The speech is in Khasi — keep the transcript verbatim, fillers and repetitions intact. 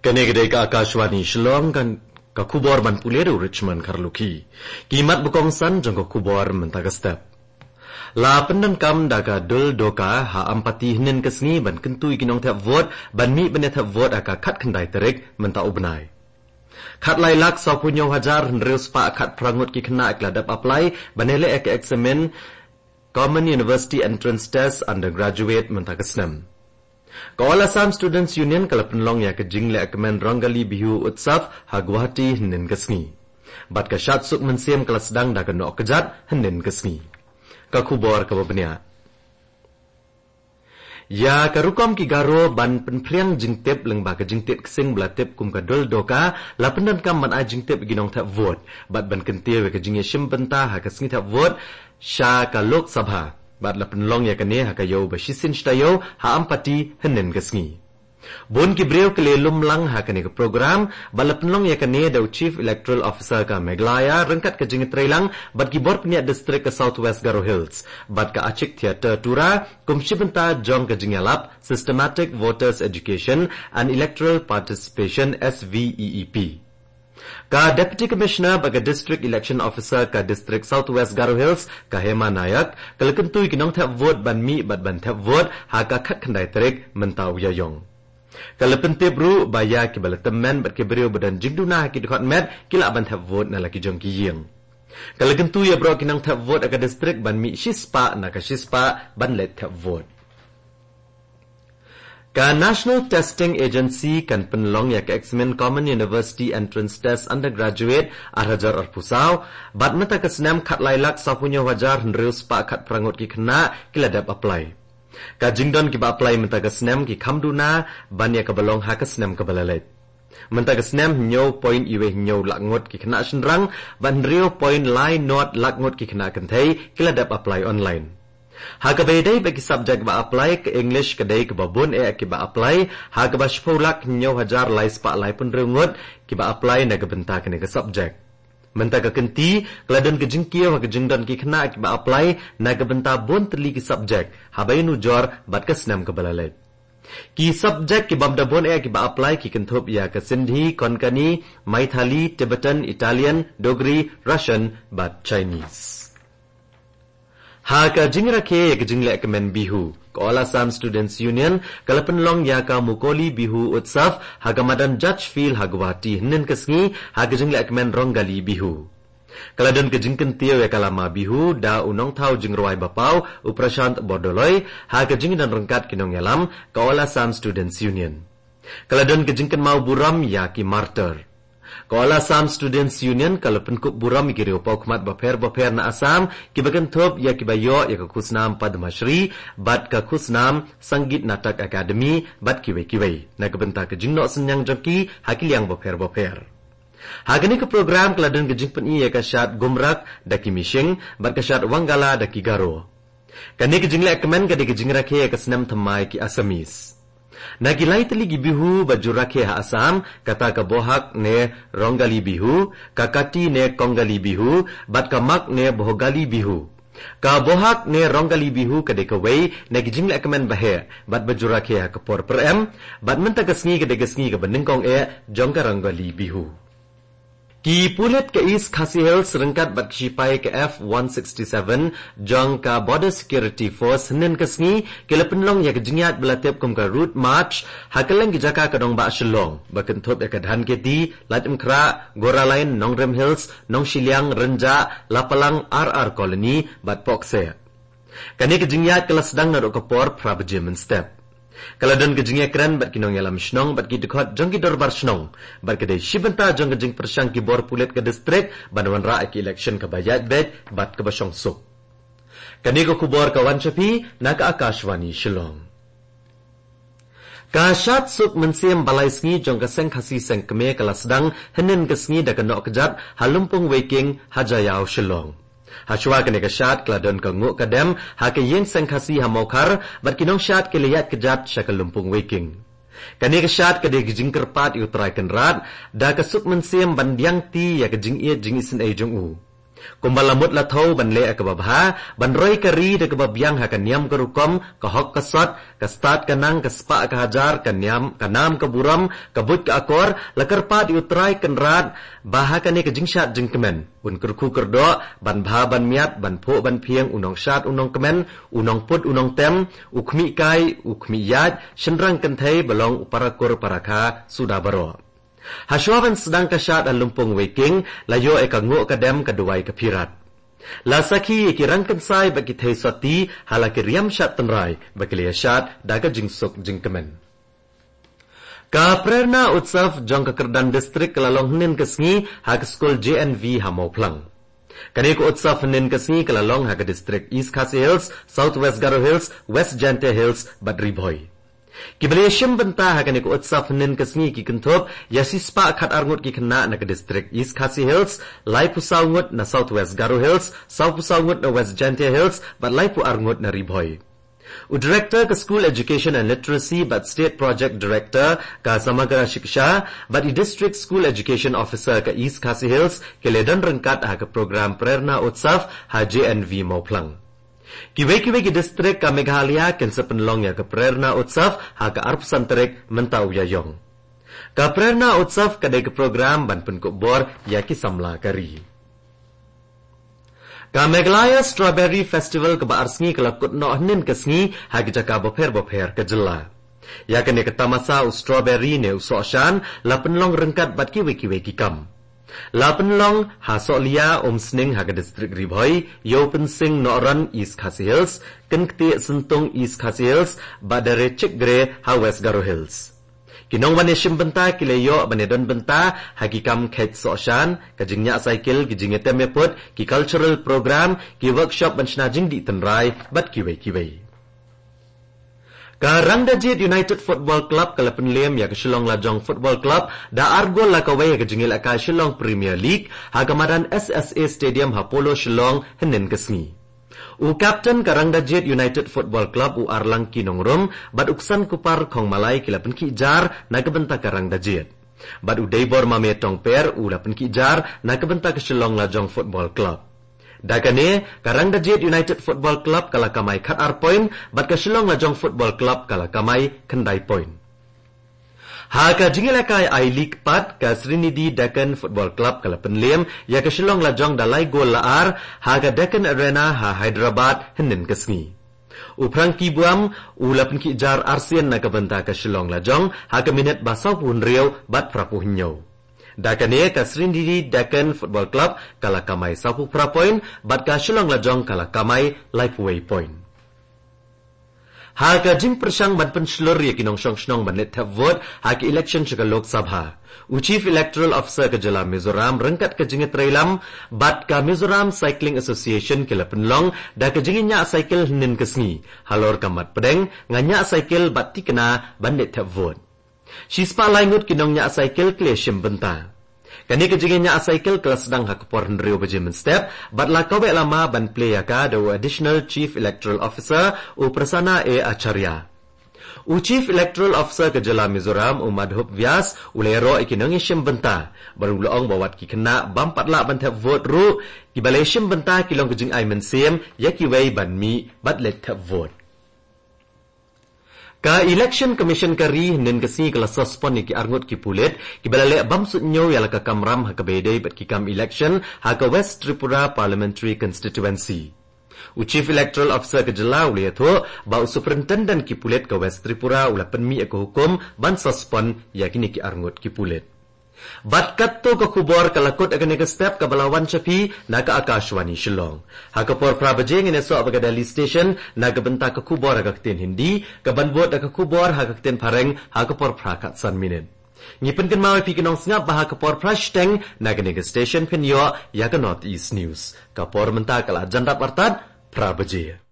Kane ka dei ka Akashvani Shillong, kan ka khubor ban pule da u Richmond Kharlukhi. Ki mat ba kongsan jong ka khubor mynta ka step. La pyndonkam da ka Dul Doka ha Ampati hynnin ka sngi ban kyntu ïa ki nongthep vote ban mih ban ïa thep vote ha ka khatkhyndai tarik mynta u bnai. Khatlai lak sawphew hynñiew hajar hynriew spah khatphra ngut ki khynnah ki la dep apply ban ïaleh ïa ka eksamin Common University Entrance Test Undergraduate mynta ka snem. Ka All Assam Students Union ka la pynlong ïa ka jingleh kmen Rongali Bihu Utsav ha Guwahati hynnin ka sngi. Bad ka Shad Suk Mynsiem ka la sdang da ka Nohkjat hynnin ka sngi. Ka khubor kaba bniah. Ïa ka rukom ki Garo ban pynphriang jingtip lyngba ka jingtied ksing ba la tip kum ka Dul Doka, la pyndonkam ban ai jingtip ïa ki nongthep vote bad ban kyntiew ïa ka jingïashim bynta ha ka sngi thep vote sha ka Lok Sabha. Bad la pynlong ïa kane ha ka ïew ba shisien shi taïew ha Ampati hynnin ka sngi. Bun ki briew ki la lum lang ha kane ka program bad la pynlong ïa kane da u Chief Electoral Officer ka Meghalaya ryngkat ka jingïatreilang bad ki bor pynïaid district ka South West Garo Hills bad ka Achik Theatre Tura kum shi bynta jong ka jingïalap Systematic Voters Education and Electoral Participation, S V E E P. Ka Deputy Commissioner bad ka District Election Officer ka District South West Garo Hills ka Hema Nayak ka la kyntu ïa ki nongthep vote ban mih bad ban thep vote ha ka khatkhyndai tarik mynta u Ïaïong. Ka la pyntip ruh ba ïa ki ba la tymmen bad ki briew ba don jingduna ha ki dkhot met ki lah ban thep vote na la ki jong ki ïing. Ka la kyntu ïa baroh ki nongthep vote ha ka district ban mih shispah na ka shispah ban leit thep vote. Ka National Testing Agency kan pynlong ïa ka eksamin Common University Entrance Test Undergraduate ar hajar arphew saw bad mynta ka snem khatlai lak sawphew hynñiew hajar hynriew spah khatphra ngut ki khynnah ki la dep apply. Ka jingdon kiba apply mynta ka snem ki kham duna ban ïa kaba long ha ka snem kaba la leit. Mynta ka snem hynñiew point iwei hynñiew lak ngut ki khynnah shynrang bad hynriew point lai nod lak ngut ki khynnah kynthei ki la dep apply online. Ha kaba ïadei bad ki subject ba apply, ka English ka dei kaba bun eh kiba apply, ha kaba shiphew lak hynñiew hajar lai spah laiphew hynriew ngut kiba apply na ka bynta kane ka subject. Mynta ka kynti ka la don ka jingkiew ha ka jingdon ki khynnah kiba apply na ka bynta bun tylli ki subject haba ïanujor bad ka snem kaba la leit. Ki subject ki bym da bun eh kiba apply ki kynthup ïa ka Sindhi, Konkani, Maithili, Tibetan, Italian, Dogri, Russian bad Chinese. Ha ka jingrakhe ïa ka jingleh kmen Bihu, ka All Assam Students Union ka la pynlong ïa ka Mukoli Bihu Utsav ha ka madan Judge Field ha Guwahati hynnin ka sngi ha ka jingleh kmen Rongali Bihu. Ka la don ka jingkyntiew ïa ka lama Bihu da u nongthaw jingrwai ba paw u Prashant Bordoloi ha ka jingdon ryngkat ki nongïalam ka All Assam Students Union. Ka la don ka jingkynmaw burom ïa ki martyr. Ka All Assam Students Union ka la pynkup burom ïa ki riewpawkhmat bapher bapher na Assam kiba kynthup ïa kiba ïoh ïa ka khusnam Padma Shri bad ka khusnam Sangeet Natak Akademi bad kiwei kiwei na ka bynta ka jingnoh synñiang jong ki ha ki liang bapher bapher. Ha kane ka program ka la don ka jingpyni ïa ka shad Gumrak da ki Mising bad ka shad Wangala da ki Garo. Kane ka jingleh kmen ka dei ka jingrakhe ïa ka snem thymmai ki Assamese. Na ki lai tylli ki Bihu ba ju rakhe ha Assam, kata ka Bohag ne Rongali Bihu, ka Kati ne Kongali Bihu bad ka Magh ne Bhogali Bihu. Ka Bohag ne Rongali Bihu ka dei kawei na ki jingleh kmen ba heh bad ba ju rakhe ha ka por pyrem bad mynta ka sngi ka dei ka sngi kaba nyngkong eh jong ka Rongali Bihu. Ki pulit ka East Khasi Hills ryngkat bad ki shipai ka F one sixty-seven jong ka Border Security Force hynnin ka sngi ki la pynlong ïa ka jingïaid ba la tip kum ka Route March ha kylleng ki jaka ka nongbah Shillong ba kynthup ïa ka Dhankheti, Laitumkhrah, Goraline, Nongrim Hills, Nongshiliang, Rynjah, Lapalang, R R Colony bad Pohkseh. Kane ka jingïaid ka la sdang naduh ka por phra baje mynstep. Ka la don ka jingïakren bad ki nongïalam shnong bad ki dkhot jong ki dorbar shnong bad ka dei shi bynta jong ka jingpyrshang ki bor pulit ka district ban wanrah ïa ka election kaba ïaid beit bad kaba shongsuk. Kane ka khubor ka wan sha phi na ka Akashvani Shillong. Ka Shad Suk Mynsiem ba lai sngi jong ka Seng Khasi Seng Kmie ka la sdang hynnin ka sngi da ka Nohkjat ha Lympung Weiking ha Jaïaw Shillong. Hashwa kane ka shad ka la don ka nguh ka dem ha ka Ïing Seng Khasi ha Mawkhar bad ki nongshad ki la ïaid kjat sha ka Lympung Weiking. Kane ka shad ka dei ka jingkyrpad ïa u Trai Kynrad da ka suk mynsiem ban diang ti ïa ka jingïeit jingisynei jong u. Kumba la mut la thew ban leh ïa kaba bha, ban roi ka ri da kaba biang ha ka niam ka rukom, ka hok ka sot, ka stad ka nang, ka spah ka hajar, ka niam, ka nam ka burom, ka buit ka akor, la kyrpad ïa U Trai Kynrad, ba ha kane ka jingshad jingkmen un kyrkhu kyrdoh, ban bha ban miat, ban phuh ban phieng, u nongshad u nongkmen, u nongput u nongtem, u khmih kai, u khmih ïaid, shynrang kynthei, ba long u para kur para kha, suda baroh. Hashwa ban sdang ka shad ha Lympung Weiking, la ïoh ïa ka nguh ka dem ka duwai ka phirat. La sakhi ïa ki rangkynsai bad ki thei soti, ha la ki riam shad tynrai, ba ki la ïa shad, da ka jingsuk jingkmen. Ka Prerna Utsav jong ka Kyrdan District ka la long hynnin ka sngi, ha ka skul J N V ha Mawphlang. Kane ka utsav hynnin ka sngi ka la long ha ka district East Khasi Hills, South West Garo Hills, West Jaintia Hills, bad Ri Bhoi. Kiba la ïa shim bynta ha kane ka utsav hynnin ka sngi ki kynthup ïa shispah khatar ngut ki khynnah na ka district East Khasi Hills, laiphew saw ngut na South West Garo Hills, sawphew saw ngut na West Jaintia Hills, bad laiphew ar ngut na Ri Bhoi. U Director ka School Education and Literacy bad State Project Director ka Samagra Shiksha, bad i District School Education Officer ka East Khasi Hills, ki la don ryngkat ha ka program Prerna Utsav ha J N V Mawphlang. Kiwei kiwei ki district ka Meghalaya kin sa pynlong ïa ka Prerna Utsav ha ka arphew san tarik mynta u Ïaïong. Ka Prerna Utsav ka dei ka program ban pynkup bor ïa ki samla ka ri. Ka Meghalaya Strawberry Festival kaba ar sngi ka la kut noh hynnin ka sngi ha ki jaka bapher bapher ka jylla. Ïa kane ka tamasa u strawberry ne u sohshan la pynlong ryngkat bad kiwei kiwei ki kam. La pynlong ha Sohliya Umsning ha ka district Ri Bhoi, Ïewpynsing Nohron East Khasi Hills, Kynktih Syntung East Khasi Hills, bad Darechikgre ha West Garo Hills. Ki nongwan ïa shim bynta ki la ïoh ban ïa don bynta ha ki kam kheit sohshan, ka jingñiah cycle, ki jingïatem ïaput, ki cultural program, ki workshop ban shna jingdih tynrai, bad kiwei kiwei. Ka Rangdajied United Football Club ka la pynlem ïa ka Shillong Lajong Football Club da ar gol la kawei ha ka jingïalehkai Shillong Premier League ha ka madan S S A Stadium ha Polo Shillong hynnin ka sngi. U captain ka Rangdajied United Football Club u Arlangki Nongrum bad u Ksankupar Khongmalai ki la pynkhih jar na ka bynta ka Rangdajied. Bad u Deibor Mame Tongper u la pynkhih jar na ka bynta ka Shillong Lajong Football Club. Da kane, ka Rangdajied United Football Club ka la kamai khatar point, bad ka Shillong Lajong Football Club ka la kamai khyndai point. Ha ka jingïalehkai I-League pat, ka Sreenidi Deccan Football Club ka la pynlem ïa ka Shillong Lajong da lai gol la ar ha ka Deccan Arena ha Hyderabad hynnin ka sngi. U Frankie Buam u la pynkhih jar arsien na ka bynta ka Shillong Lajong ha ka minit ba sawphew hynriew bad phraphew hynñiew. Da kane ka Sreenidi Deccan Football Club ka la kamai sawphew phra point, bad ka Shillong Lajong ka la kamai laiphew wei point. Ha ka jingpyrshang ban pynshlur ïa ki nongshong shnong ban leit thep vote ha ka election sha ka Lok Sabha, u Chief Electoral Officer ka jylla Mizoram ryngkat ka jingïatreilang bad ka Mizoram Cycling Association ki la pynlong da ka jingïañiah cycle hynnin ka sngi halor ka mat pdeng nga ñiah cycle bad tikna ban leit thep vote. Shispah lai ngut ki nongñiah cycle ki la shim bynta. Kane ka jingïañiah cycle ka la sdang ha ka por hynriew baje mynstep, bad la kaweh lama ban plie ïa ka da u Additional Chief Electoral Officer u Prasanna A Acharya. U Chief Electoral Officer ka jylla Mizoram u Madhup Vyas u la ïaroh ïa ki nongïashim bynta, bad u la ong ba wat ki khynnah bym pat lah ban thep vote ruh, kiba la shim bynta ki long ka jingai mynsiem ïa kiwei ban mih bad leit thep vote. Ka Election Commission ka ri hynnin ka sngi ka la suspend ïa ki arngut ki pulit kiba la leh bym suidñiew ïa la ka kamram ha kaba ïadei bad ki kam election ha ka West Tripura Parliamentary Constituency. U Chief Electoral Officer ka jylla u la ïathuh ba u Superintendent ki pulit ka West Tripura u la pynmih ïa ka hukum ban suspend ïa kine ki arngut ki pulit. Bad katto ka khubor ka la kut ha kane ka step kaba la wan sha phi na ka Akashvani Shillong. Ha ka por phra baje ngin ïasoh bad ka Delhi Station na ka bynta ka khubor ha ka ktien Hindi, kaban bud da ka khubor ha ka ktien Phareng ha ka por phra khatsan minit. Ngi pynkynmaw ïa phi ki nongsngap ba ha ka por phra shiteng na kane ka station phin ïoh ïa ka North East News. Ka por mynta ka la jan dap artat phra baje.